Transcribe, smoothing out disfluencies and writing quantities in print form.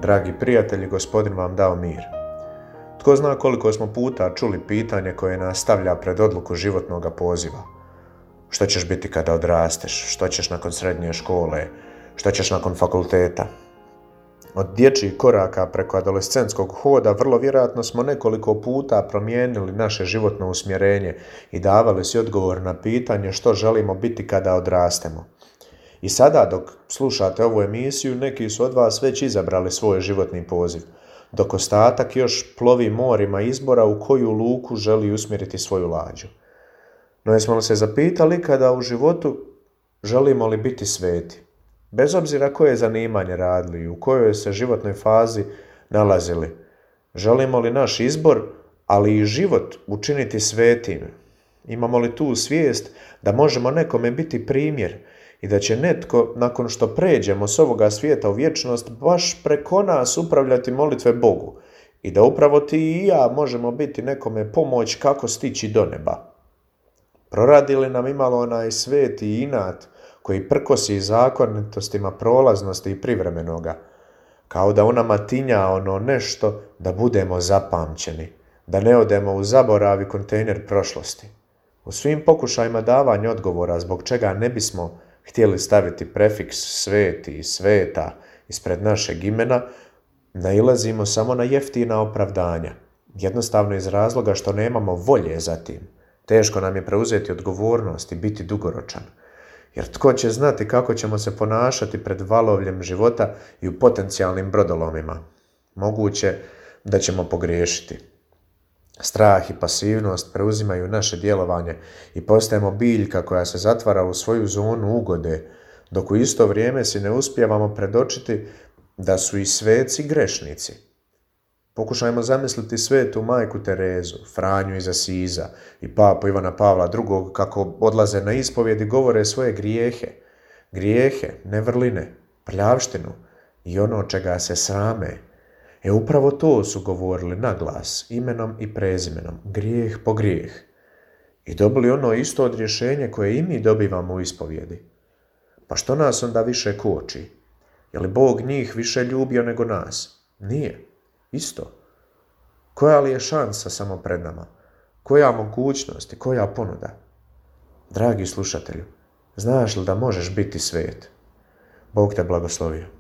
Dragi prijatelji, Gospodin vam dao mir. Tko zna koliko smo puta čuli pitanje koje nas stavlja pred odluku životnog poziva. Što ćeš biti kada odrasteš? Što ćeš nakon srednje škole? Što ćeš nakon fakulteta? Od dječjih koraka preko adolescentskog hoda vrlo vjerojatno smo nekoliko puta promijenili naše životno usmjerenje i davali si odgovor na pitanje što želimo biti kada odrastemo. I sada dok slušate ovu emisiju, neki su od vas već izabrali svoj životni poziv, dok ostatak još plovi morima izbora u koju luku želi usmjeriti svoju lađu. No jesmo li se zapitali kada u životu želimo li biti sveti? Bez obzira koje zanimanje radili i u kojoj se životnoj fazi nalazili, želimo li naš izbor, ali i život učiniti svetim? Imamo li tu svijest da možemo nekome biti primjer i da će netko, nakon što pređemo s ovoga svijeta u vječnost, baš preko nas upravljati molitve Bogu i da upravo ti i ja možemo biti nekome pomoć kako stići do neba? Proradi li nam imalo onaj sveti inat koji prkosi zakonitostima prolaznosti i privremenoga, kao da u nama tinja ono nešto da budemo zapamćeni, da ne odemo u zaborav i kontejner prošlosti? U svim pokušajima davanja odgovora zbog čega ne bismo htjeli staviti prefiks sveti i sveta ispred našeg imena, nailazimo samo na jeftina opravdanja, jednostavno iz razloga što nemamo volje za tim. Teško nam je preuzeti odgovornost i biti dugoročan. Jer tko će znati kako ćemo se ponašati pred valovljem života i u potencijalnim brodolomima? Moguće da ćemo pogriješiti. Strah i pasivnost preuzimaju naše djelovanje i postajemo biljka koja se zatvara u svoju zonu ugode, dok u isto vrijeme si ne uspijevamo predočiti da su i sveci grešnici. Pokušajmo zamisliti svetu majku Terezu, Franju iz Asiza i papu Ivana Pavla II. Kako odlaze na ispovjed i govore svoje grijehe, nevrline, prljavštinu i ono čega se srame. Upravo to su govorili na glas, imenom i prezimenom, grijeh po grijeh. I dobili ono isto odrješenje koje i mi dobivamo u ispovjedi. Pa što nas onda više koči? Je li Bog njih više ljubio nego nas? Nije. Isto. Koja li je šansa samo pred nama? Koja mogućnost i koja ponuda? Dragi slušatelju, znaš li da možeš biti svet? Bog te blagoslovio.